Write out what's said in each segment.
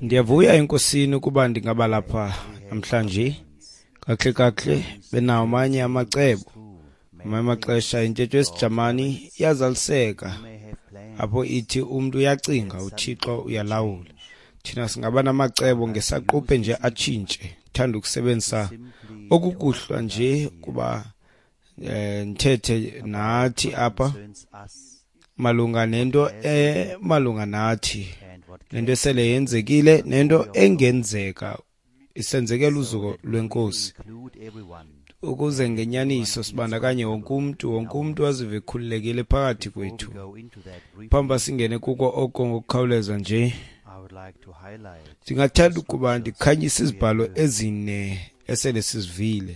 Ndiyavuya enkosini ukuba ndingaba lapha namhlanje. Kakuhle kakuhle benawo amanye amacebo. Ngamanye amaxesha intetho yesiJamani iyazaliseka apho ithi umntu uyacinga uThixo uyalawula. Thina singaba namacebo ngesaquphe nje atshintshe. Ndithanda ukusebenzisa okukuhlwa nje kuba ndithethe nathi apha malunga nento malunga nathi, nento esele yenzekile nento engenzeka isenzekela uzuko lwenkosi, ukuze ngenyaniso sibandakanye wonke umntu azive ekhululekile phakathi kwethu. Phambi singene kuko oko ngokukhawuleza nje, ndingathanda ukuba ndikhanyise izibhalo ezine esele sizivile.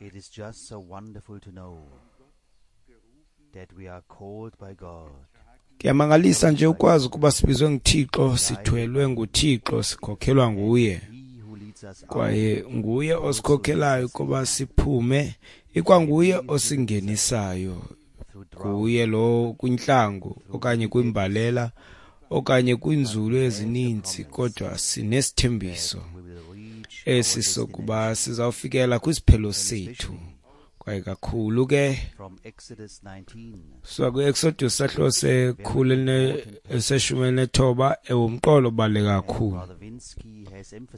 It is just so wonderful to know that we are called by God. Kuyamangalisa nje ukwazi ukuba sibizwe nguThixo, sithwelwe nguThixo, sikhokhelwa nguye. Kwaye nguye osikhokhelayo kuba siphume, ikwanguye osingenisayo. Nguye lo kwintlango okanye kwimbalela okanye kwinzulu ezininzi, kodwa sinesithembiso esi sokuba sizawufikela kwisiphelo sethu. Kwaye kakhulu ke suka kwi-Exodus sahluko se-19 ewumqolo obaluleke kakhulu.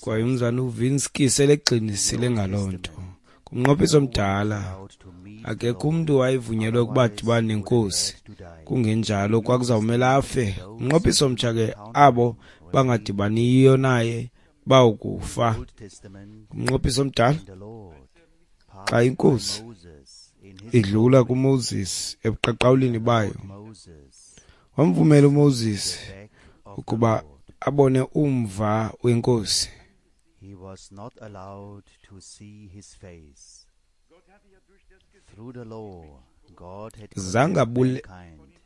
Kwaye umzana uVinsky selegxinisile ngaloo nto. Kumnqophiso omdala akekho umntu wayevunyelwe ukuba adibane nenkosi, kungenjalo kwakuzawumela afe. Kumnqophiso omtsha ke abo bangadibaniyo naye bawukufa. Kumnqophiso omdala xa inkosi idlula kuMoses ebuqaqawulini bayo, wamvumela uMoses ukuba abone umva wenkosi. He was not allowed to see his face. Through the law, God had Zange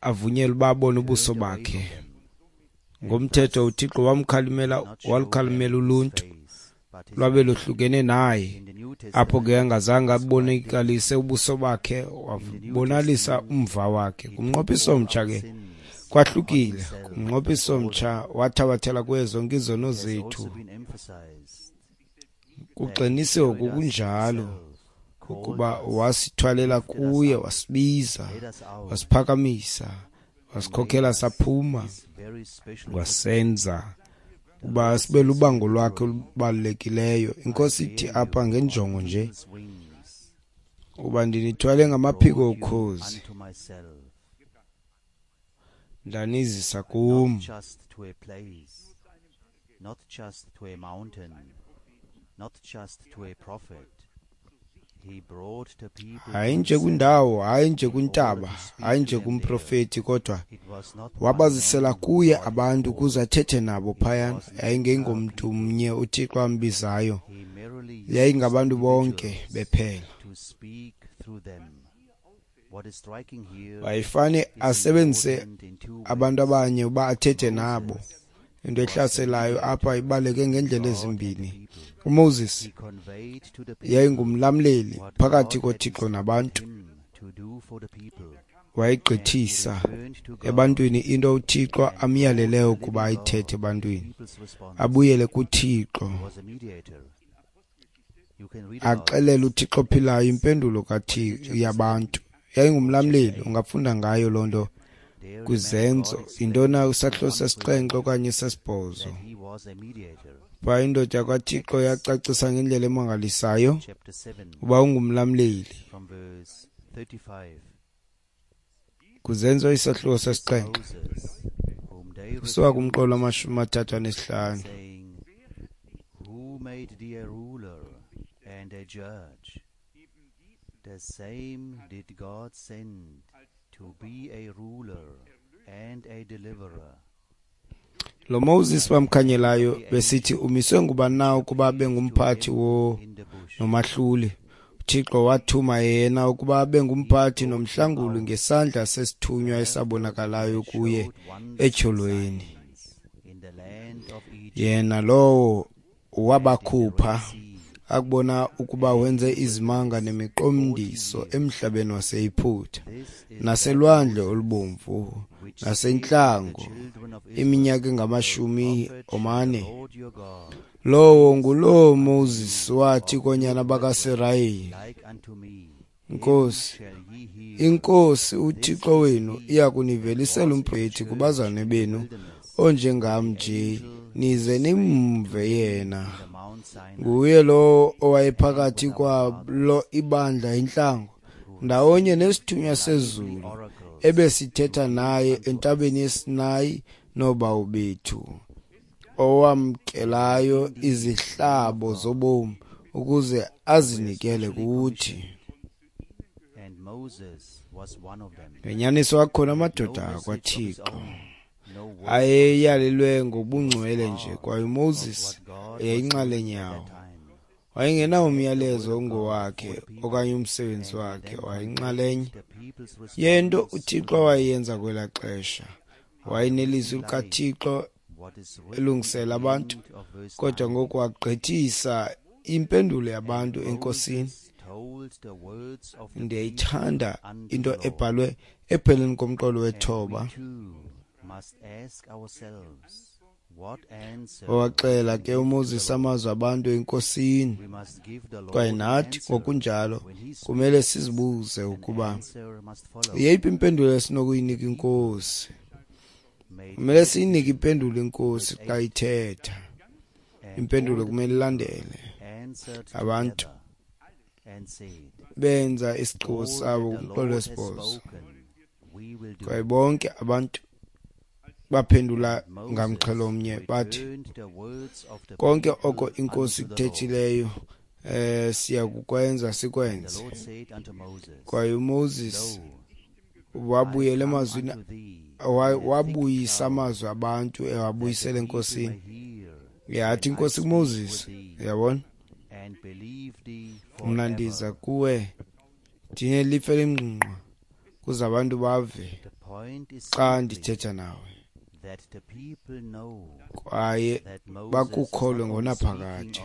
avunyelwe uba abone ubuso bakhe. Ngomthetho uThixo wamkhalimela, walukhalimela uluntu lwabe lohlukene naye. Apho ke angazange abonakalise ubuso bakhe, wabonalisa umva wakhe. Kumnqophiso omtsha ke kwahlukile. Kumnqophiso omtsha wathabathela kuye zonke izono zethu. Kugxinisiwe ngokunjalo ukuba wasithwalela kuye, wasibiza, wasiphakamisa, wasikhokhela saphuma, wasenza uba sibe lubango lwakhe olubalulekileyo. Inkosi ithi apha ngenjongo nje uba ndinithwale ngamaphiko okhozi, ndanizisa kum. Not just to a place, not just to a mountain, not just to a prophet. He brought the people Hayi nje kwindawo, hayi nje kwintaba, hayi nje kumprofeti, kodwa wabazisela kuye abantu ukuze athethe nabo phayana. Yayingengomntu mnye uThixo ambizayo, yayingabantu bonke bephela. to speak through them. What is striking here Wayefane asebenzise abantu abanye uba athethe nabo. Into ehlaselayo apha ibaleke ngendlela ezimbini. uMoses he conveyed to the people yayingumlamleli phakathi what God had koThixo nabantu. him to do for the people. Wayegqithisa Turned to God, ebantwini into uThixo amyaleleyo ukuba ayithethe ebantwini, people's response abuyele kuThixo, was a mediator. You can read about axelele uThixo ophilayo impendulo kaThixo yabantu. Yayingumlamleli, ungafunda ngayo loo nto there the man kwizenzo. God explained Yintona isahluko sesixhenxe okanye sesibhozo. that he was a mediator. Phaa indoda yakwaThixo yacacisa ngendlela emangalisayo Chapter 7 uba ungumlamleli. from verse 35. Kuzenzo isahluko sesixhenxe Moses, whom they kusuka kumqolo wama-35. saying, Who made thee a ruler and a judge? The same did God send to be a ruler and a deliverer. Lo Moses bamkhanyelayo besithi umiswe ngubani na ukuba abe ngumphathi wo In the bush, nomahluli. uThixo wathuma yena ukuba abe ngumphathi nomhlanguli ngesandla sesithunywa esabonakalayo kuye etyholweni. in the land of Egypt, Yena lowo wabakhupha Akubona ukuba wenze izimanga nemiqondiso emhlabeni waseYiputa, naselwandle olubomvu, nasentlango, iminyaka engama-40. Lowo nguloo Moses wathi koonyana bakaSirayeli, Nkosi, iNkosi uThixo wenu iya kunivelisela umprofeti kubazalwane benu onjengam nje, nize nimve yena. Nguye lowo owayephakathi kwalo ibandla intlango, ndawonye nesithunywa sezulu ebesithetha naye entabeni yeSinayi noobawo bethu, owamkelayo izihlabo zobomi ukuze azinikele kuthi. Ngenyaniso akhona amadoda akwaThixo ayeyalelwe ngobungcwele nje, kwaye uMoses eyayinxalenye yawo. Wayengenawo umyalezo ongowakhe okanye umsebenzi wakhe, wayeyinxalenye yento uThixo awayeyenza kwelaa xesha. Wayenelizwi likaThixo elungisela abantu, kodwa ngoku wagqithisa impendulo yabantu eNkosini. Ndiyayithanda into ebhalwe epheleni komqolo wethoba. Wawaxela ke uMoses amazwi abantu eNkosini, kwaye nathi ngokunjalo kumele sizibuze ukuba yeyiphi impendulo esinokuyinika iNkosi. Kumele siyinike impendulo iNkosi xa ithetha. Impendulo kumele ilandele. Abantu benza isigqibo sabo kumqolo wesibhozo, kwaye bonke abantu baphendula ngamxhelo mnye bathi, konke oko iNkosi ikuthethileyo siya kukwenza, sikwenze. Kwaye uMoses wabuyela emazwini, wabuyisa amazwi abantu ewabuyisela eNkosini. Yathi iNkosi kuMoses, uyabona, mna ndiza kuwe ndinelifu elingqingqwa kuze abantu bave xa ndithetha nawe, kwaye bakukholwe ngonaphakade.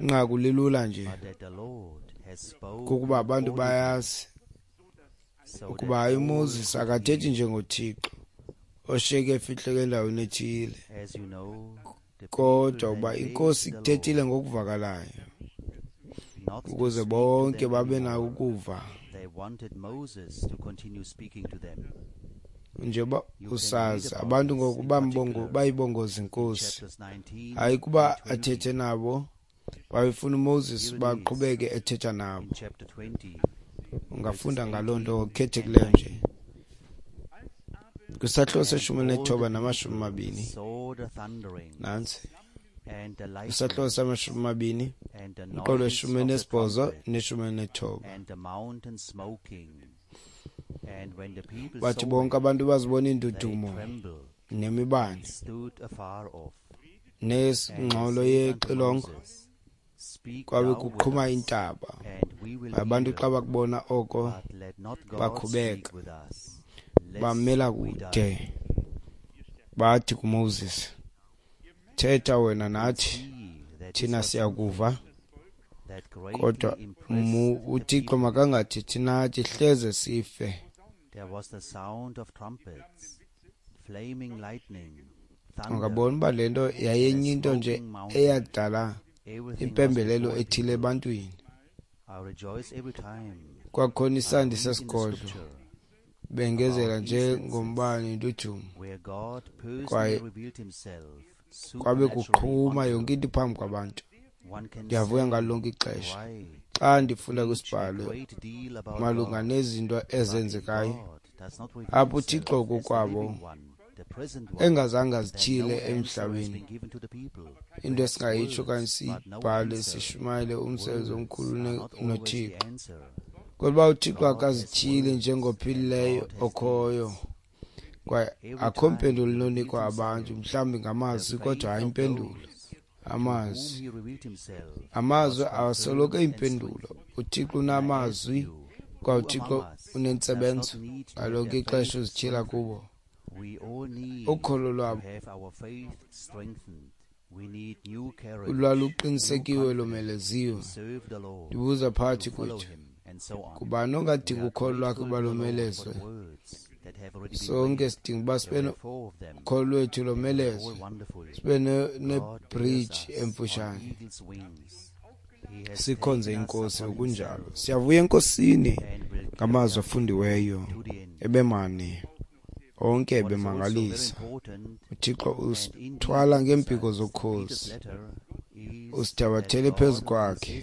Inqaku lilula nje, kukuba abantu bayazi ukuba hayi uMoses akathethi njengoThixo oshiyeke efihleke endaweni ethile, kodwa uba iNkosi ikuthethile ngokuvakalayo ukuze bonke babe nako ukuva. Njengoba usazi, abantu ngoku bayibongoza iNkosi, hayi kuba athethe nabo, babefuna uMoses baqhubeke ethetha nabo. Ungafunda ngaloo nto ngokukhethekileyo nje kwisahluko se-19 nama-20. Nantsi kwisahluko sama-20, umqolo we-18 ne-19. Bathi bonke abantu bazibona iindudumo nemibane nengxolo yexilongo, kwabe kuqhuma intaba. Abantu xa bakubona oko bakhubeka, bamela kude. Bathi kuMoses, thetha wena nathi, thina siyakuva, kodwa uThixo makangathethi nathi, hleze sife. Ungabona uba le nto yayenye into nje eyadala impembelelo ethile ebantwini. Kwakhona isandi sesigodlo bengezela nje ngombane intuthumbo, kwaye kwabe kuqhuma yonke into phambi kwabantu. Ndiyavuya ngalo lonke ixesha xa ndifunda kwisibhalo malunga nezinto ezenzekayo apho uThixo kokwabo engazange azityhile emhlabeni. Into esingayitsho okanye siyibhale sishumayele umsebenzi omkhulu noThixo, kodwa uba uThixo akazityhili njengophilileyo okhoyo, kwaye akho mpendulo inonikwa abantu, mhlawumbi ngamazwi, kodwa hayi impendulo. Amazwi awasoloko eyimpendulo. uThixo unamazwi, kwaye uThixo unentsebenzo ngalonke ixesha uzityhila kubo. Ukholo lwabo Lwaluqinisekiwe lomeleziwe. Ndibuza phakathi kwethu, kubani ongadinga ukholo lwakhe uba lomelezwe? Sonke sidinga uba sibe nokholo lwethu lomelezwe, sibe nebhriji emfushane, sikhonze iNkosi ngokunjalo. Siyavuya eNkosini ngamazwi afundiweyo ebemane onke ebemangalisa. UThixo usithwala ngeempiko zokhozi, usithabathele phezu kwakhe,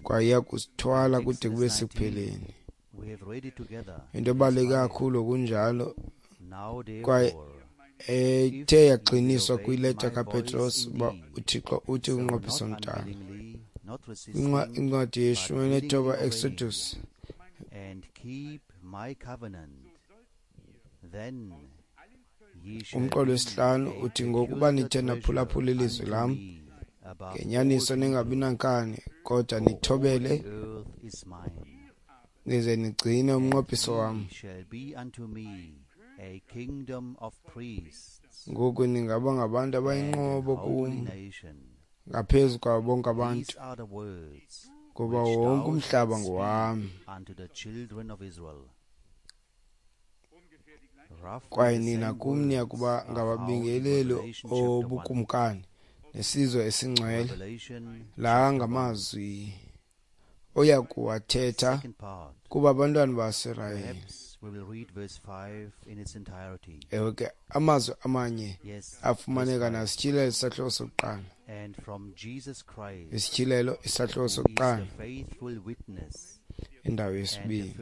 kwaye uyakusithwala kude kube sekupheleni. Into ebaluleke kakhulu kunjalo kwaye ethe yagxiniswa kwileta kaPetros uba uThixo uthi kumnqophiso omdala, incwadi ye-19 Exodus, umqolo wesihlanu uthi, ngokuba nithe naphulaphula ilizwi lam ngenyaniso ningabi nankani, kodwa nithobele nize nigcine umnqophiso wam, ngoku ningaba ngabantu abayinqobo kum ngaphezu kwabo bonke abantu, ngoba wonke umhlaba ngowam. Kwaye nina kum niya kuba ngababingeleli obukumkani nesizwe esingcwele. La ngamazwi oya kuwathetha kuba abantwana baSirayeli. Ewe ke, amazwi amanye afumaneka nasityhilelo isahluko sokuqala. Isityhilelo isahluko sokuqala, indawo yesibini.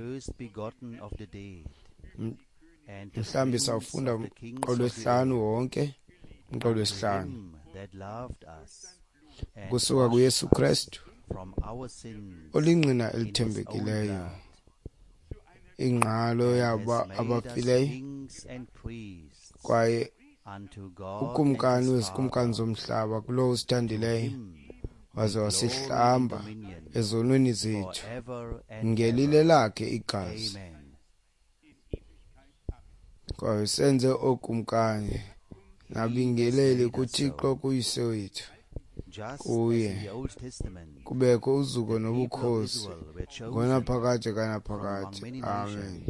Mhlawumbi sawufunda umqolo wesihlanu wonke, umqolo wesihlanu kusuka kuYesu Kristu olingqina elithembekileyo, ingqalo yabo abafileyo, kwaye ukumkani wezikumkani zomhlaba, kulowo usithandileyo waze wasihlamba ezonweni zethu ngelile lakhe igazi, kwaye senze ookumkani nabingeleli kuThixo kuYise wethu. Kuye kubekho uzuko nobukhosi ngonaphakade kanaphakade. Amen.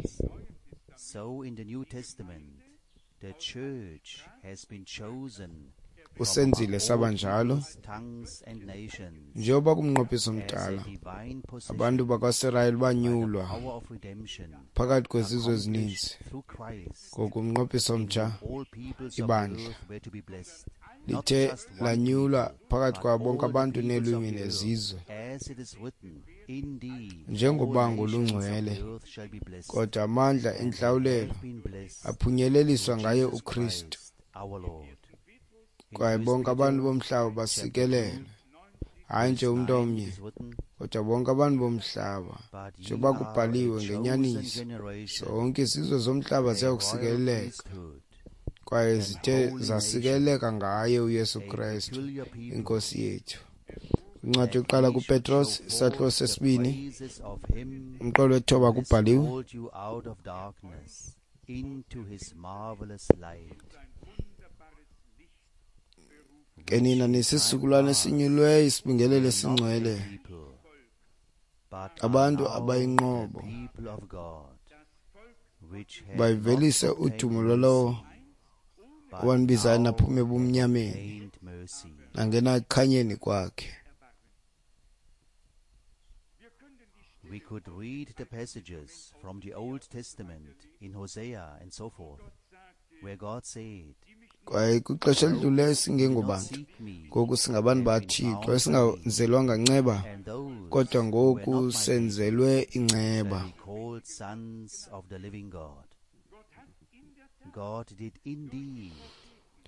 Usenzile saba njalo njengoba kumnqophiso omdala abantu bakwaSirayeli banyulwa phakathi kwezizwe ezininzi, ngokumnqophiso omtsha ibandla lithe lanyulwa phakathi kwabo bonke abantu neelwimi nezizwe njengobango olungcwele, kodwa amandla entlawulelo aphunyeleliswa ngaye uKristu, kwaye bonke abantu bomhlaba basikelelwe, hayi nje umntu omnye, kodwa bonke abantu bomhlaba, njengoba kubhaliwe ngenyaniso, zonke izizwe zomhlaba ziyakusikeleleka, kwaye zithe zasikeleleka ngaye uYesu Kristu iNkosi yethu. Incwadi yokuqala kuPetros isahluko sesibini umqolo wethoba kubhaliwe, ke nina nisisizukulwana esinyulweyo, isibingelelo esingcwele, abantu abayinqobo, bayivelise udumo lwalowo owanibizayo naphuma ebumnyameni nangena ekukhanyeni kwakhe. We could read the passages from the Old Testament in Hosea and so forth, where God said, Kwaye kwixesha elidluleyo singengobantu, ngoku singabantu baThixo, esingenzelwanga nceba, kodwa ngoku senzelwe inceba.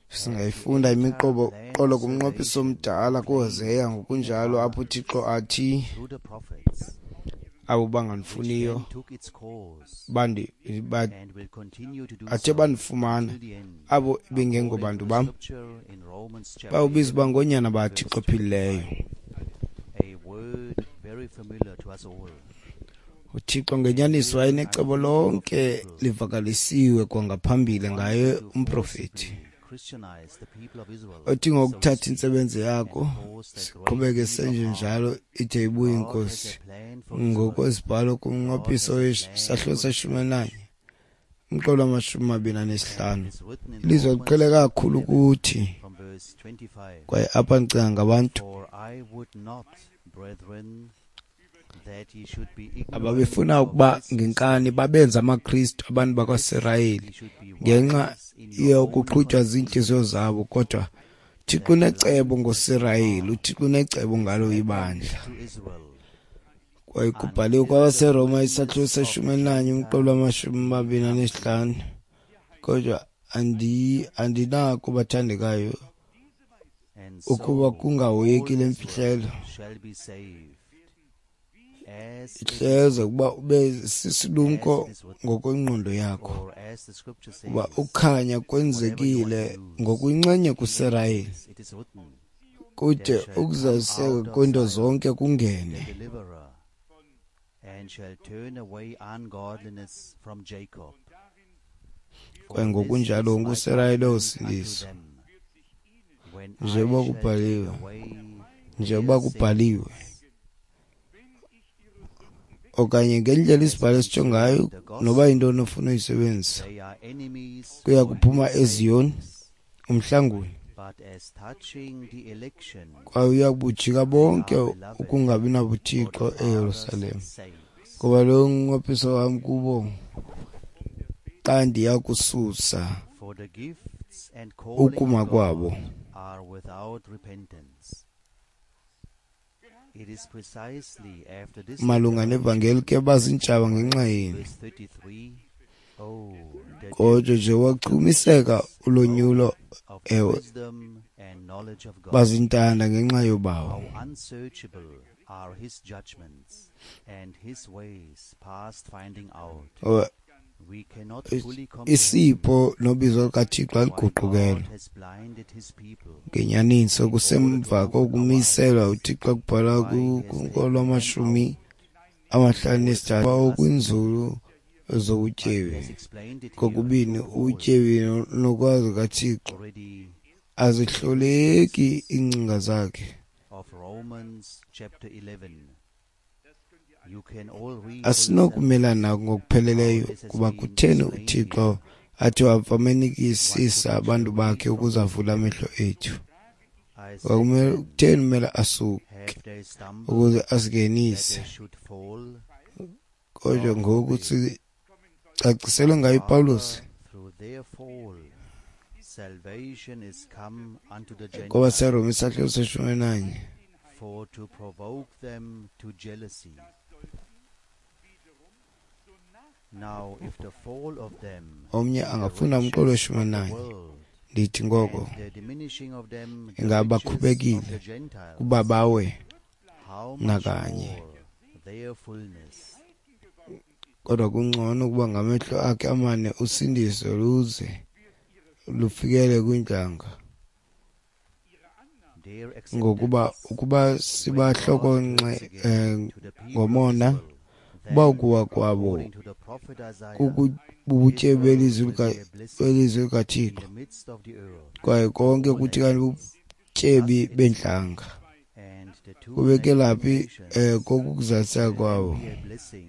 Singayifunda imiqobo qolo kumnqophiso omdala kuHoseya ngokunjalo, apho uThixo athi abo bangandifuniyo athe bandifumana, abo bengengobantu bam bawubiza uba ngoonyana baThixo ophilileyo. UThixo ngenyaniso wayenecebo lonke livakalisiwe kwangaphambili ngaye umprofeti. Othi ngokuthatha intsebenzo yakho siqhubeke senje njalo ide ibuye inkosi. Ngokwezibhalo kumnqophiso wesahluko seshumi elinanye umqolo wama-25, ilizwe liqhele kakhulu kuthi. Kwaye apha ndicinga ngabantu ababefuna ukuba ngenkani babenze amaKristu abantu bakwaSirayeli ngenxa yokuqhutywa ziintliziyo zabo. Kodwa uThixo unecebo ngoSirayeli, uThixo unecebo ngalo ibandla. Kwaye kubhaliwe kwabaseRoma isahluko seshumi elinanye umqolo wama-25. Kodwa andinako, bathandekayo, ukuba kungahoyeki le mfihlelo, ihleze ukuba ube sisilumko ngokwengqondo yakho, kuba ukukhanya kwenzekile ngokuyinxenye kuSirayeli, kude ukuzaliseka kweento zonke kungene. Kwaye ngokunjalo wonke uSirayeli uyosindiswa, njengoba kubhaliwe, okanye ngendlela isibhalo esitsho ngayo, noba yintoni ofuna uyisebenzisa. Kuya kuphuma eZiyoni umhlanguli, kwaye uya kubujika bonke ukungabi nabuthixo eYerusalem. Ngoba lo ngumnqophiso wam kubo xa ndiya kususa ukuma kwabo. Are without repentance. It is precisely after this Malunga nevangeli ke baziintshaba ngenxa yenu. Verse 33. Oh, the Kodwa nje wachumiseka ulonyulo, of the ewe, wisdom and knowledge of God. bazintanda ngenxa yobawo. How unsearchable are his judgments and his ways past finding out. Oh, We cannot fully comprehend isipho nobizo lukaThixo why aliguqukelwa. God has blinded his people. Ngenyaniso kusemva kokumiselwa uThixo kubhala kolwama-53 okwinzulu He zobutyebi. has explained it here Kokubini through Paul ubutyebi nokwazi kaThixo already azihloleki iingcinga zakhe. of Romans chapter 11. You can all read for yourself Asinokumelana ngokupheleleyo kuba kutheni uThixo athi wafamenikisisa abantu bakhe ukuze avule amehlo ethu. I said Kwakumele then, kutheni kumele asuke have they stumbled ukuze that asingenise. they should fall? Kodwa ngoku sicaciselwe ngayo uPawulos Rather, through their fall, salvation is come unto the Gentiles, kwabaseRoma isahluko seshumi elinanye. for to provoke them to jealousy. Now, if the fall of them, Omnye the angafunda umqolo riches weshumi of the elinanye. world, Ndithi ngoko and the diminishing of them, the ingaba riches of bakhubekile the Gentiles, kuba bawe how much nakanye. more their fullness? Kodwa kungcono ukuba ngamehlo akhe amane usindiso luze lufikele kwiintlanga. Their Ngokuba acceptance ukuba sibahlokonxe ngomona, then, uba ukuwa kwabo according to the prophet Isaiah, bubutyebi belizwi in likaThixo, the midst of the earth, kwaye konke kuthi kanti bubutyebi beentlanga, and the two kubekelaphi nations kokukuzaliseka kwabo. be a blessing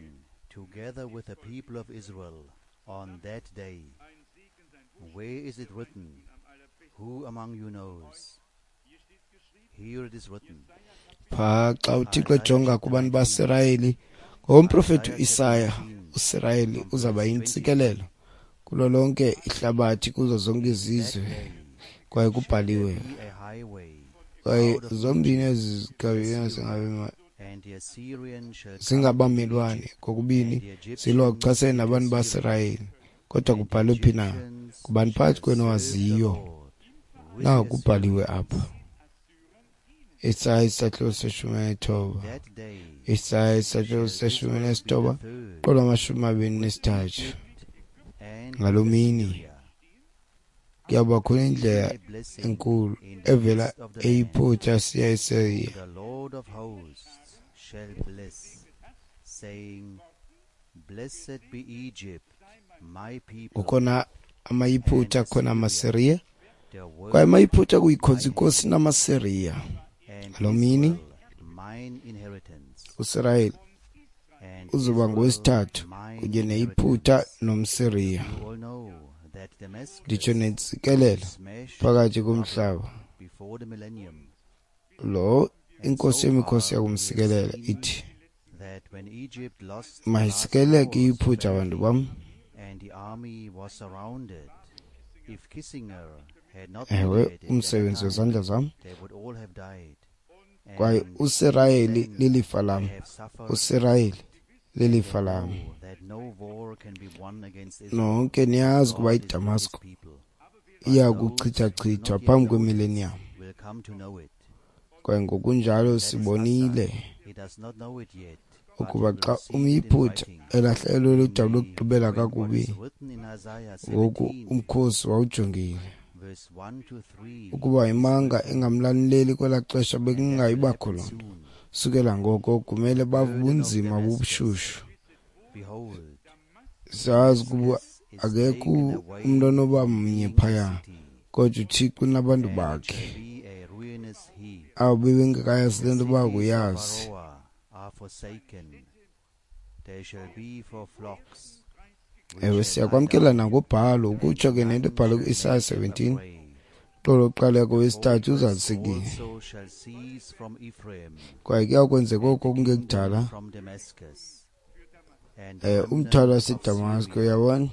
together with the people of Israel on that day. Where is it written? Who among you knows? Here it is written. Phaa xa uThixo ejonga kubantu baSirayeli ngomprofethi uIsaya, uSirayeli uzawuba yintsikelelo kulo lonke ihlabathi, kuzo zonke izizwe, kwaye kubhaliwe. Be a highway, Kwaye zombini ezi zigabene and the Assyrian shall come singabamelwane kokubini zilwa kuchasene nabantu baSirayeli. Kodwa kubhalwe phi na? Ngubani phakathi kwenu waziyo? Naku kubhaliwe apha. Isaya isahluko seshumi elinethoba. That day Isaya isahluko seshumi elinethoba third qolo 23. and Ngaloo mini Assyria, kuyawuba khona indlela a blessing enkulu in the evela midst of the land. eYiputa siya eSiriya. The Lord of hosts shall bless, saying, Blessed be Egypt, my people, Kukhona amaYiputa, khona amaSiriya, Kwaye amaYiphutha kuyikhonza inkosi namaSiriya. Ngaloo mini uSirayeli uzoba ngowesithathu kunye neYiphutha nomSiriya. Nditsho nentsikelelo phakathi komhlaba lo inkosi yemikhosi yakumsikelela ithi, mayisikeleke iYiphutha bantu bam. Ewe, umsebenzi wezandla zam, kwaye uSirayeli lilifa lam, uSirayeli lilifa lam. Nonke niyazi ukuba iDamasko iya kuchithachithwa phambi kwemileniyam. Kwaye ngokunjalo sibonile ukuba xa umYiphutha elahlekelwe ludabi lokugqibela kakubi, ngoku umkhosi wawujongile ukuba imanga engamlanileli kwelaa xesha bekungayibakho loo nto. Sukela ngoko kumele bave ubunzima bobushushu. Sazi ukuba akekho umntu onoba mnye phaya, kodwa uThixo unabantu bakhe. Abo bebengekayazi le nto bakuyazi. Ewe, siyakwamkela nangobhalo, ukutsho ke nento ebhalwe ku-Isaya 17, xolo oqala kowesithathu uzalisekile. Kwaye kuyakwenzeka oko kungekudala, umthwalo waseDamasko, uyabona,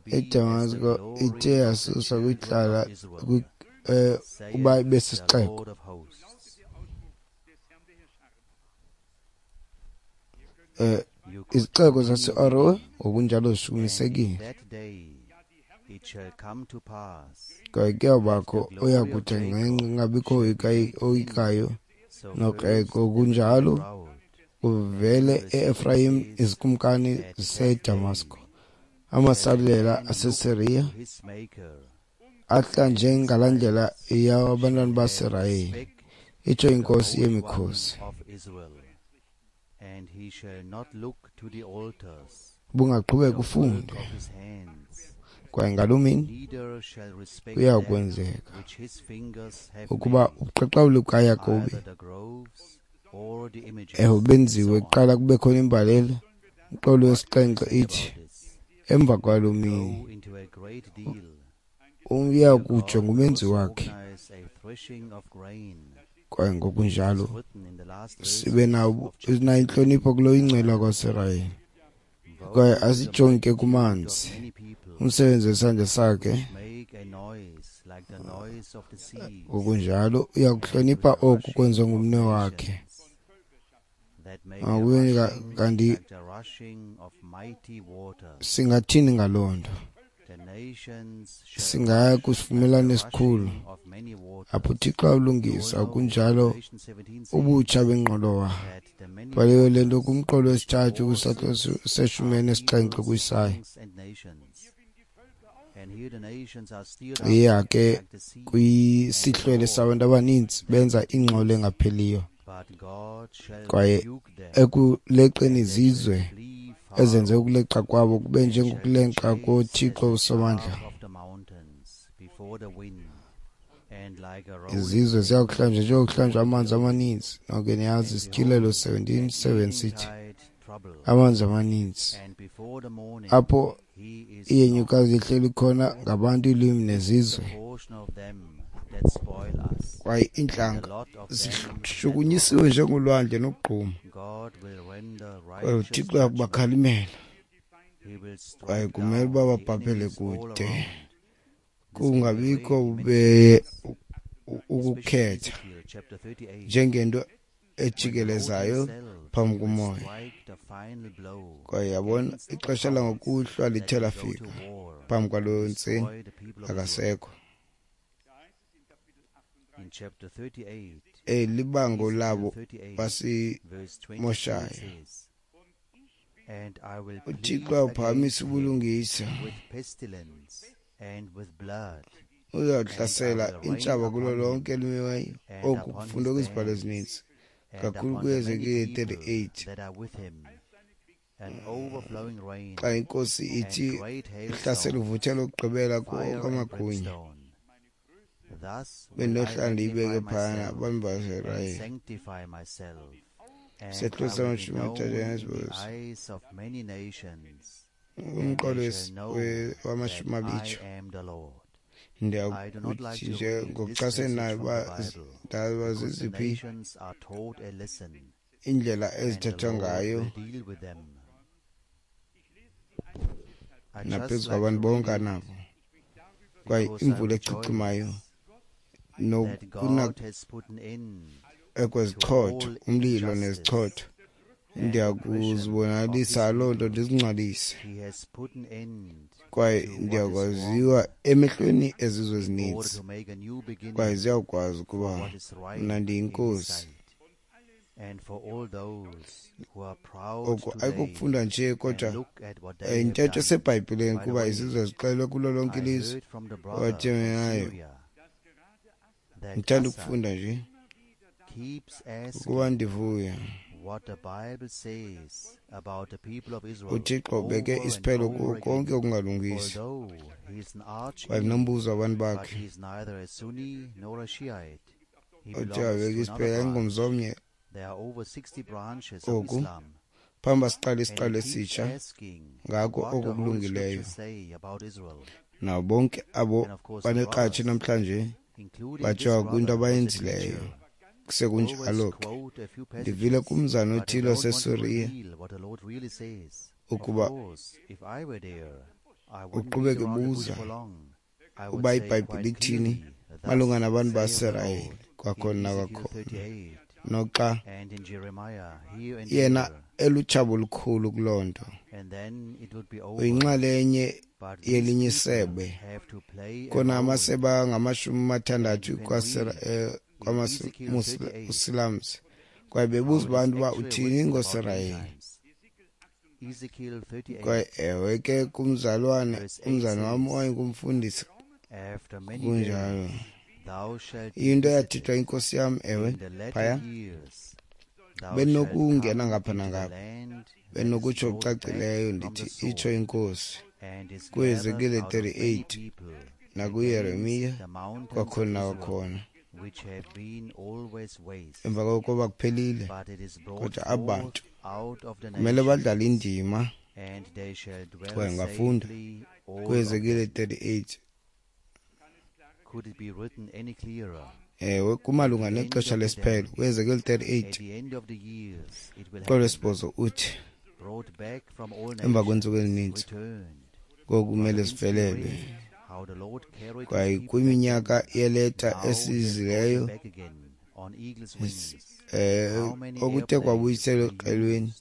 iDamasko ithe yasuswa kwihlala uba ibe sisixeko. Izixeko zaseArowe ngokunjalo zishukumisekile. Kwaye kuyawubakho oyakuthi ngqengqe kungabikho oyikayo nokreko. Kunjalo kuvele e-Efrayim izikumkani ziseDamasko, amasalela aseSiriya ahla njengalaa ndlela yabantwana baSirayeli, itsho inkosi yemikhosi. Bungaqhubeka ufunde. Kwaye ngaloo mini kuya kwenzeka ukuba ubuqaqawuli bukaYakobi ewe benziwe kuqala kube khona imbalela. Umqolo wesixhenxe ithi emva kwaloo mini uya kujonga umenzi wakhe. Kwaye ngokunjalo sibe nayo intlonipho kulo ingcwele wakwaSirayeli. Kwaye asijonge ke kumanzi, umsebenzi wesandla sakhe. Ngokunjalo uyakuhlonipha oku kwenziwa ngumnwe wakhe. Kanti singathini ngaloo nto? Singaya kwisivumelwano esikhulu apho uThixo awulungisa kunjalo ubutsha bengqolowa. Bhaliwe le nto kumqolo wesithathu kwisahluko seshumi elinesixhenxe kuIsaya. Iya ke kwisihlwele sabantu abaninzi benza ingxolo engapheliyo, kwaye ekuleqeni izizwe ezenze ukuleqa kwabo kube njengokuleqa koThixo uSomandla. Izizwe ziyakuhlanjwa njengokuhlanjwa amanzi amaninzi. Nonke niyazi isityhilelo 17:7 sithi amanzi amaninzi, apho iyenyukazi ihleli khona ngabantu, iilwimi nezizwe. Kwaye iintlanga zishukunyisiwe njengolwandle nokugquma. Kwaye uThixo uyakubakhalimela, kwaye kumele uba babhabhele kude, kungabikho bubeye ukukhetha njengento ejikelezayo phambi komoya. Kwaye yabona ixesha langokuhlwa lithe lafika phambi kwaloo ntseni, akasekho. Libango labo basimoshayo. uThixo uyawuphakamisa ubulungisa, uzawuhlasela iintshaba kulo lonke elimiweyo. Oku kufundwe kwizibhalo ezininzi kakhulu kuHezekile 38, xa inkosi ithi ihlasela uvuthelo lokugqibela kuwo onke amagunya. Bendinohlala ndiyibeke phayana abantu baseRayeli. Sehlo sama-38 umqolo wama-20. Ndiyakuthi nje ngokuchasenayo uba ndazi ziziphi iindlela ezithethwa ngayo naphezu kwabantu bonke anabo, kwaye imvula echichimayo nokuna ekwezichotho, umlilo nezichotho, ndiyakuzibonakalisa loo nto ndizingcwalise, kwaye ndiyakwaziwa emehlweni ezizwe ezininzi, kwaye ziyakwazi ukuba mna ndiyinkosi. Oku ayikokufunda nje, kodwa yintetho eseBhayibhileni, kuba izizwe zixelwe kulo lonke ilizwe owathemenayo. Ndithanda ukufunda nje ukuba ndivuya. UThixo ubeke isiphelo kuko konke okungalungisi, kwaye nombuzo wabantu bakhe othe wabeka isiphelo ayingomzomnye. Oku phambi siqale isiqalo esitsha ngako oko kulungileyo. Nabo bonke abo banekratshi namhlanje batshiwa kwinto abayenzileyo. Kusekunjalo ke, ndivile kumzana othile waseSuriya ukuba uqhubeke ebuza uba iBhayibhile ithini malunga nabantu baseSirayeli kwakhona nakwakhona, noxa yena elutshaba olukhulu kuloo nto. Uyinxalenye yelinye isebe, khona amasebe angama-60 kwamaMuslams, kwaye bebuza abantu uba uthini ngoSirayeli. Kwaye ewe ke kumzalwane, umzana wam wayengumfundisi, kunjalo. Into eyathethwa inkosi yam, ewe, phaya benokungena ngapha nangapha, benokutsho okucacileyo ndithi itsho inkosi kuHezekile 38 nakuYeremiya kwakhona nakwakhona. Emva kokuba kuphelile, kodwa abantu kumele badlale indima. Kwaye ngafunda kuHezekile 38. Ewe, kumalunga nexesha lesiphelo kuHezekile 38 qolo 8 uthi emva kweentsuku ezininzi ngoku kumele sivelelwe. Kwaye kwiminyaka yeleta esizileyo okuthe kwabuyiselwa eqelweni,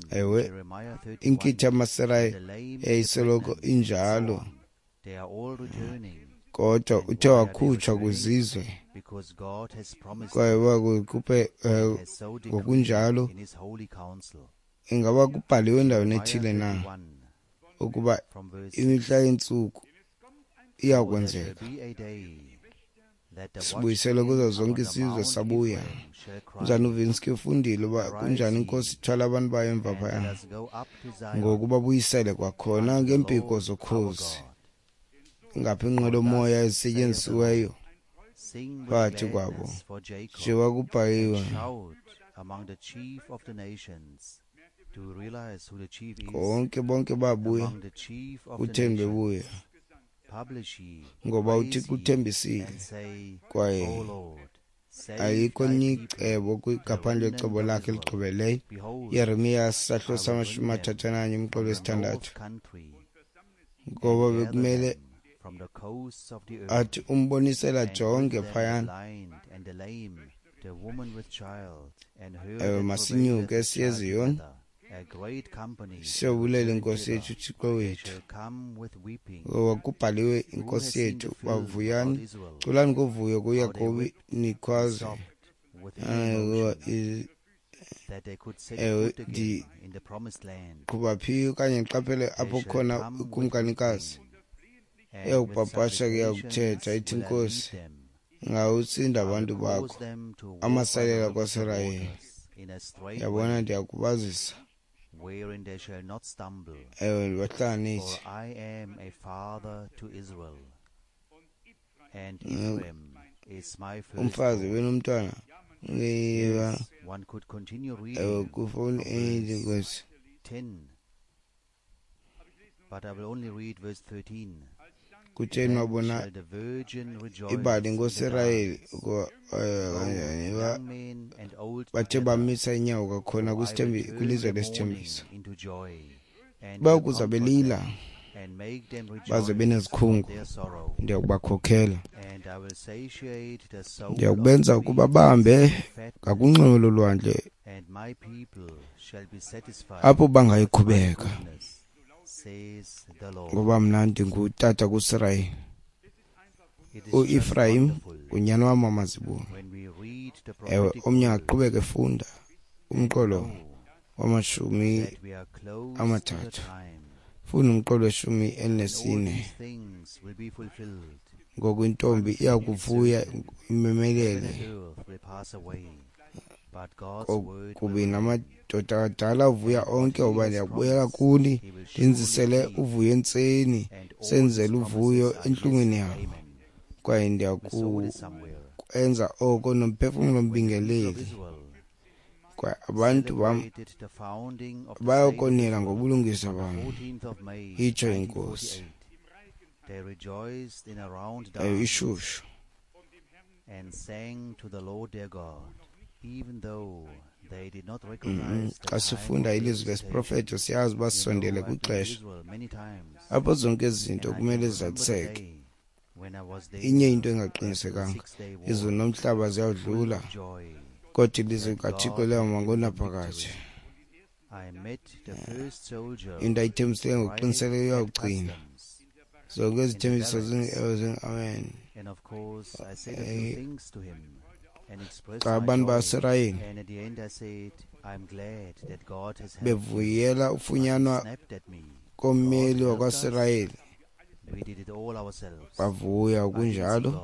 ewe, inkitha yamaSirayeli yayisoloko injalo, kodwa uthe wakhutshwa kwizizwe kwaye wakukhuphe ngokunjalo. Ingaba kubhaliwe endaweni ethile na ukuba imihla yentsuku iyakwenzeka? Sibuyiselwe kuzo zonke izizwe sabuya. Mzana uVinsky ufundile uba kunjani inkosi ithwala abantu bayo emva phaya, ngoku babuyisele kwakhona ngeempiko zokhozi, ingaphi inqwelomoya ezisetyenzisiweyo phakathi kwabo njengoba kubhaliwe. Konke bonke babuya, kutheni bebuya? Ngoba uThixo uthembisile, kwaye ayikho elinye icebo ngaphandle kwecebo lakhe eligqibeleyo. Yeremiya sahlo sama-31 umqolo wesithandathu. Ngoba bekumele athi umbonisela jonge phayana. Ewe, masinyuke siye eZiyoni, siyobulela inkosi yethu uThixo wethu, ngoba kubhaliwe inkosi yethu, bavuyani, culani ngovuyo kuYakobi, nikhwaze. Ewe, ndiqhuba phi okanye ndiqaphele apho khona ukumkanikazi eyakupapasha ke yakuthetha ithi inkosi, ngawusinda abantu bakho amasalela kwaSirayeli. Yabona, ndiyakubazisa wherein they shall not stumble. Ewe, ndibahlanganise. For I am a father to Israel, and Ephraim is my Umfazi firstborn. benomntwana ngeba. Yes, one could continue Ewe, reading kufoni from enye verse inkosi. 10, but I will only read verse 13. Kutheni Then wabona shall the virgin rejoice ibali in the ngoSirayeli dance, ukuba kanjani both young men and old bathe together. bamisa inyawo kwakhona For I will turn kwilizwe their lesithembiso. mourning into joy, and will Bayokuza comfort belila them, and make them baze rejoice of benezikhungu, their sorrow. ndiyakubakhokhela. And I will satiate the soul of Ndiyakubenza the ukuba weak bahambe with fatness, ngakunxweme lolwandle and my people shall be satisfied apho with my bangayikhubeka, goodness, says the Lord. ngoba mna ndingutata kuSirayeli. It is just uEfrayim wonderful ngunyana wam wamazibulo. when we read the Ewe, prophetic omnye words aqhubeke efunda and umqolo know wamashumi that we are close to the amathathu. time Funda umqolo weshumi when all elinesine. these things will be fulfilled. Ngoku intombi iya kuvuya Heaven imemelele and earth will pass away, but God's word will kubi remain. namadoda adala avuya And what onke, he ngoba has ndiyakubuyela promised, kuni he will surely ndinzisele keep, uvuyo entseni, and all his senzele uvuyo promises are yes entlungwini and yabo. amen. Kwaye We saw this somewhere. ndiyakwenza oko nomphefumlo When the people of mbingeleli. Israel Kwaye abantu bam celebrated the founding of the state of bayokonela Israel ngobulungisa on the bam, 14th of May itsho inkosi. 1948, they rejoiced in a round Ewe, dance ishushu. and sang to the Lord their God, even though they did not recognize the Xa time sifunda of their ilizwi visitation. lesiprofeto siyazi uba You sisondele know, I've been to kwixesha Israel many times, apho zonke ezi zinto and I kumele can remember the zizaliseke. day when I was Inye there into after the engaqinisekanga, Six-Day War, izulu nomhlaba full ziyawudlula, of joy kodwa ilizwi that likaThixo God had liyawuma given them ngonaphakade. victory. I met the first soldier Into ayithembisileyo right ngokuqinisekileyo at uyawugcina. customs Zonke in the izithembiso barracks. amen. And of course, I said a few things to him and expressed Xa my abantu joy. baSirayeli And at the end, I said, I'm glad that God has helped you. bevuyela But he ufunyanwa snapped at me. God kommeli helped us. wakwaSirayeli, We did it all ourselves. bavuya I didn't see kunjalo, God.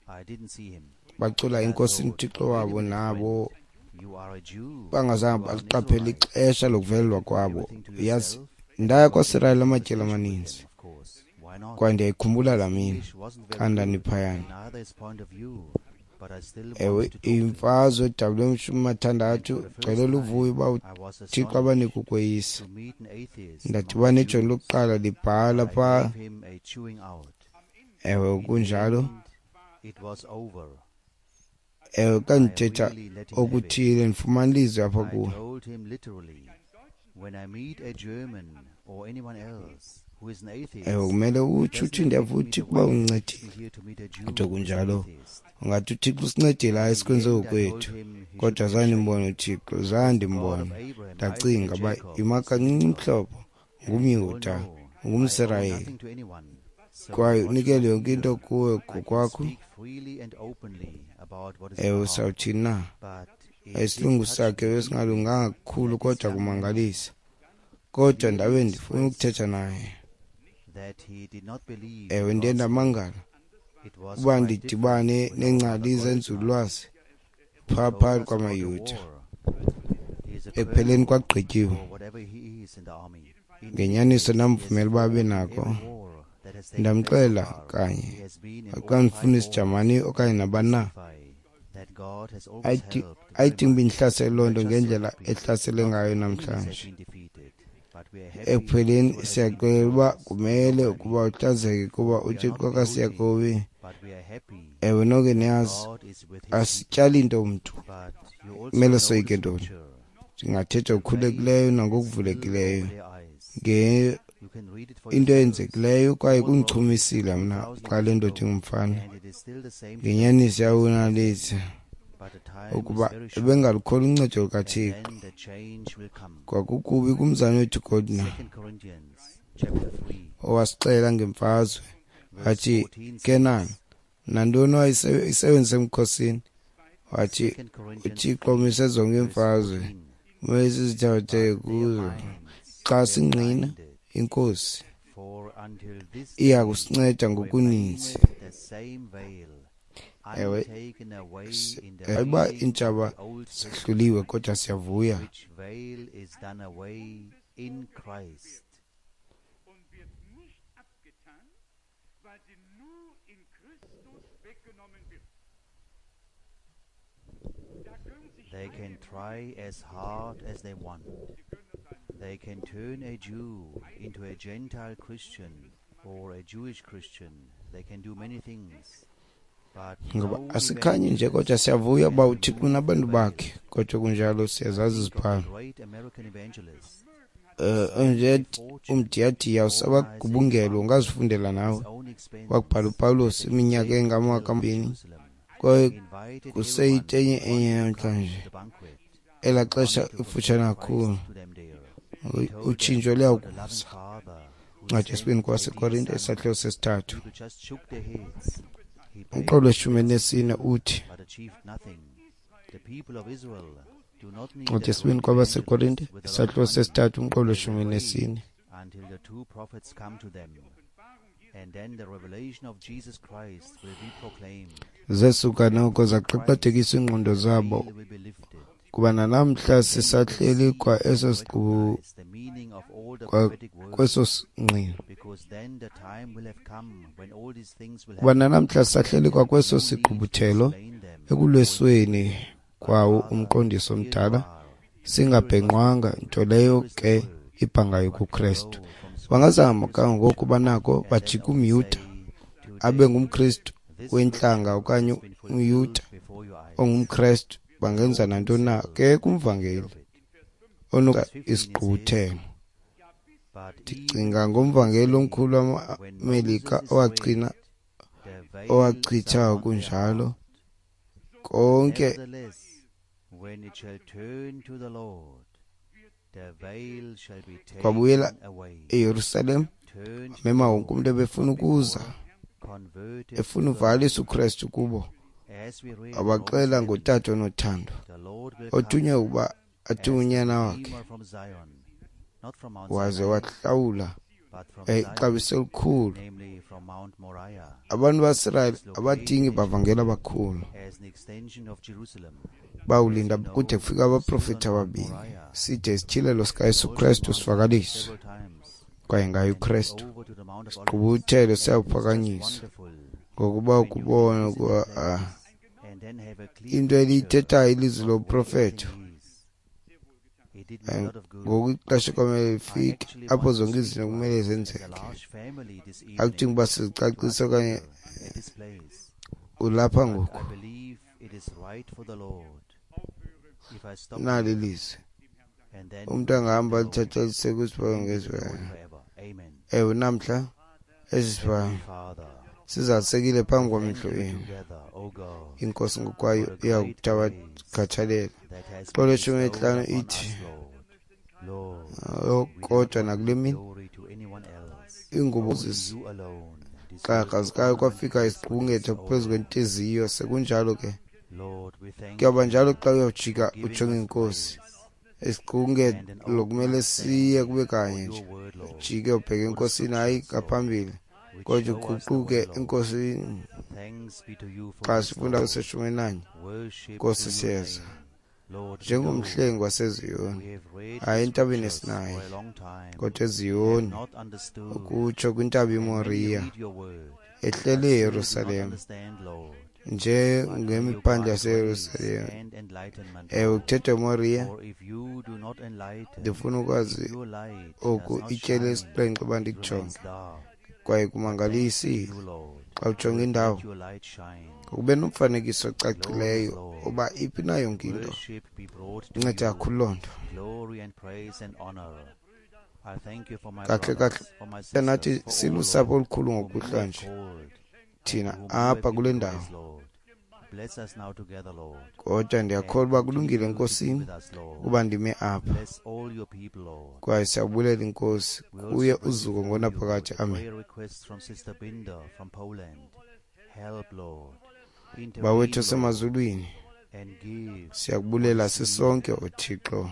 I didn't see him. bacula And I iNkosi thought, uThixo wait a wabo minute, nabo friend. You are a Jew. bangazange You are an baliqaphela Israelite. ixesha lokuvelelwa Keep kwabo. everything to Uyazi, yourself and ndaya got into kwaSirayeli a amatyeli conversation with amaninzi, them, of course. Why not? kwaye ndiyayikhumbula laa His mini English wasn't xa very good, ndandiphayana. and neither his point of view, but I still Ewe, wanted to talk to him. imfazwe edabule emshumi And for mathandathu the first gcwele luvuyo time, uba I was uThixo astonished abanike ukweyisa. to meet an atheist among the Ndadibana nejoni Jews, lokuqala libhala but I phaa. gave him a chewing out. Ewe, In the kunjalo. end, it was over. Ewe, xa I ndithetha really let him have it. okuthile ndifumana ilizwi apha I kuwe. told him literally, when I meet a German or anyone else who is an Ewe, atheist, kumele it utsho doesn't uthi affect ndiyava me the uThixo uba way it affects undincedile. me here to meet a Jew Kodwa who is an kunjalo, atheist. ungathi uThixo usincedile, hayi In the sikwenze end, I told ngokwethu. him he should Kodwa be zange ashamed. ndimbone uThixo, zange Because the God of ndimbone. Abraham, Isaac, and Ndacinga uba Jacob ima is the kancinci living God. umhlobo, And you all ngumYuda, know I owe ngumSirayeli. nothing to anyone, so Kwaye what should unikele I yonke into fear? kuwe I can ngokwakho. speak freely and openly about what is in Ewe, my heart. sawuthini na? But it did Isilungu touch sakhe me deeply besingalunganga kakhulu that this kodwa young man kumangalisa. Kodwa clearly ndabe ndifuna expressed ukuthetha naye. that he did not believe Ewe, in ndiye God's word. ndamangala It was uba quite ndidibane different with our brother neengcali Goldner, zenzululwazi who phaa told phakathi us about the kwamaYuda. war. He is a Ekupheleni colonel kwagqityiwe. or whatever he is in the army. In any Ngenyaniso case, he has ndamvumela uba abe fought in nako. every war that has taken place so Ndamxelela far. kanye He has been in xa all five ndifuna wars isiJamani okanye to nabani na. testify that God has always Ayithi helped very ayithi uba much. indihlasele loo We are nto just so ngendlela happy ehlasele not ngayo all enemies have namhlanje. been defeated, but we are happy Ekupheleni to have been siyaxelela uba victorious. You know kumele what I ukuba mean. uhlazeke kuba We are not uThixo beholden, kaSiyakobi. but we are happy Ewe, nonke that niyazi God is with his people. asityali nto mntu. But you also Kumele know the soyike ntoni? scripture. Ndingathetha The veil ngokukhululekileyo is still nangokuvulekileyo over their eyes. You can read it for into yourselves. eyenzekileyo kwaye Paul wrote it kundichumisile mna 2,000 xa le years ndoda ago, ingumfana. and it is still the same today Ngenyaniso as it was yawonalisa then. But the time is ukuba very short, ebengalukholwa uncedo and lukaThixo. then the change will come. Kwakukubi kumzana wethu Goldner 2 Corinthians chapter 3, owasixela ngemfazwe verse wathi 14 Kenan says, nantoni wayisebenzise emkhosini, wathi 2 Corinthians uThixo 3, umise zonke verse iimfazwe 14, kumele sizithabathe But their kuzo. minds Xa were singqina blinded, inkosi for until this iya day kusinceda ngokuninzi. remaineth the same veil Ewe, uba iintshaba zahluliwe, kodwa siyavuya. They can try as hard as they want. They can turn a Jew into a Gentile Christian or a Jewish Christian. They can do many things. Ngoba asikhanyi nje, kodwa siyavuya uba uThixo unabantu bakhe, kodwa kunjalo siyazazi izibhalo. Nje umdiyadiya usabagubungelo, ungazifundela nawe. Wakubhala uPawulos iminyaka engama-2 kwaye kuseyitenye enye namhlanje. Elaa xesha ifutshane kakhulu, utshintsho luyawukuza. Incwadi yesibini kwabaseKorinte, isahluko sesithathu, umqolo weshumi elinesine uthi, Incwadi yesibini kwabaseKorinte, isahluko sesithathu, umqolo weshumi elinesine. Zesuka noko zaqaqadekisa iingqondo zabo, kuba nanamhla sisahleli kwa eso siqu, kwa kweso singqino. Kuba nanamhla sisahleli kwa kweso sigqubuthelo ekulwesweni kwawo umqondiso omdala, singabhenqwanga, nto leyo ke ibhangayo kuKrestu. Bangazama kangangoko banako bajike umYuda abe ngumKristu wentlanga okanye umYuda ongumKrestu, bangenza nantoni na ke kumvangeli onuka isigqubuthelo. Ndicinga ngomvangeli omkhulu wamaMelika owachitha kunjalo konke. Kwabuyela eYerusalem, wamema wonke umntu ebefuna ukuza, efuna uvalisa uKrestu kubo. Wabaxela ngotata onothando, othunywe ukuba athume unyana wakhe, waze wahlawula ixabiso elikhulu. Abantu baSirayeli abadingi bavangeli abakhulu, bawulinda kude kufika abaprofeti ababini, side isityhilelo sikaYesu Krestu sivakaliswe, kwaye ngaye uKrestu sigqubuthelo siyawuphakanyiswa. Ngokuba ukubona ukuba into eliyithethayo ilizwi loprofeto, ngoku ixesha kwamele lifike apho zonke izinto kumele zenzeke. Akudingi uba sizicacise okanye ulapha ngoku. Nali ilizwi, umntu angahamba alithathe aliseke kwisibhalo ngezibhalo. Ewe, namhla esi sibhalo sizalisekile phambi kwamehlo enu. Inkosi ngokwayo iyakuthabatha. Xolo 15 ithi, kodwa nakule mini iingubo zikrakra zikayo kwafika isigqungetho phezu kwentliziyo. Sekunjalo ke, kuyaba njalo xa uyawujika ujonge inkosi. Isigqungelo kumele siye kube kanye nje, ujike ubheke enkosini, hayi ngaphambili, kodwa uguquke enkosini. Xa sifunda kuseshumi nanye, Nkosi siyeza njengomhlengi waseZiyoni, hayi entabeni eSinayi, kodwa eZiyoni, ukutsho kwintaba iMoriya, ehlele eYerusalem, njengemiphandle yaseYerusalem. Ewe, kuthethwa eMoriya. Ndifuna ukwazi oku ityeli esixhenxe uba ndikujonge, kwaye kumangalisile xa ujonga indawo, kube nomfanekiso ocacileyo uba iphi na yonke into. Inceda kakhulu loo nto. Kahle kahle nathi silusapho olukhulu ngokuhlwa nje thina apha kule ndawo, kodwa ndiyakholwa uba kulungile enkosini ukuba ndime apha, kwaye siyabulela inkosi kuye uzuko ngonaphakade. Amen. Bawethu osemazulwini, siyakubulela sisonke, uThixo,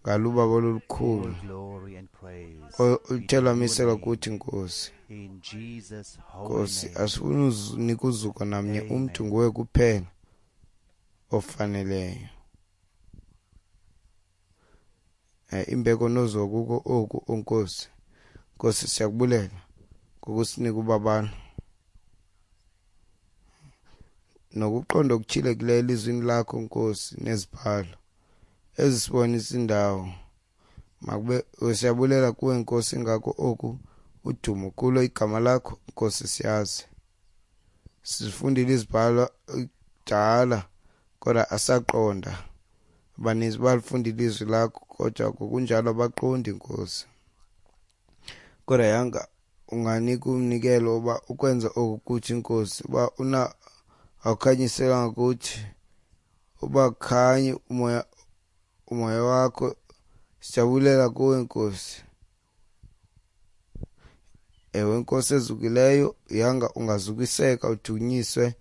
Ngalubabalo olukhulu All glory and praise be oluthe to your lwamiselwa name. kuthi, Nkosi. In Jesus' holy Nkosi, name. asifuni unika uzuko namnye umntu, Amen. nguwe kuphela ofaneleyo. Imbeko nozuko kuko oku, o Nkosi. Nkosi, siyakubulela ngokusinika ubabalo nokuqonda okutyhilekileyo elizwini lakho, Nkosi, nezibhalo ezisibonisa indawo. Makube siyabulela kuwe, Nkosi, ngako oku udumo kulo igama lakho, Nkosi. Siyazi sifundile izibhalo kudala, kodwa asaqonda. Abaninzi balifundile ilizwi lakho, kodwa ngokunjalo abaqondi, Nkosi. Kodwa yanga unganika umnikelo uba ukwenza oku kuthi, Nkosi, uba una awukhanyiselanga kuthi, uba khanye umoya wakho. Sijabulela kuwe, Nkosi. Ewe, Nkosi ezukileyo, yanga ungazukiseka, udunyiswe,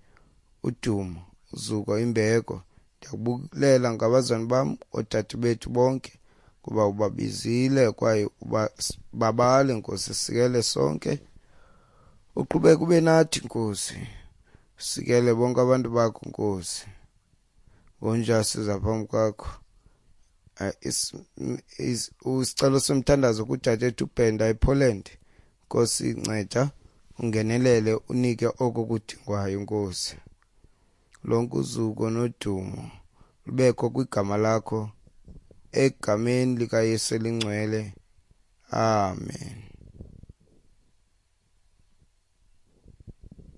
udumo, uzuko, imbeko. Ndiyakubulela ngabazalwane bam, oodade bethu bonke, kuba ubabizile kwaye babale, Nkosi. Sikele sonke, uqhubeke ube nathi, Nkosi. Sikele bonke abantu bakho, Nkosi. Ngonjalo siza phambi kwakho. Isicelo somthandazo kudadethu uBhenda ePoland. Nkosi, nceda ungenelele, unike oko kudingwayo, Nkosi. Lonke uzuko nodumo lubekho kwigama lakho, egameni likaYesu elingcwele. Amen.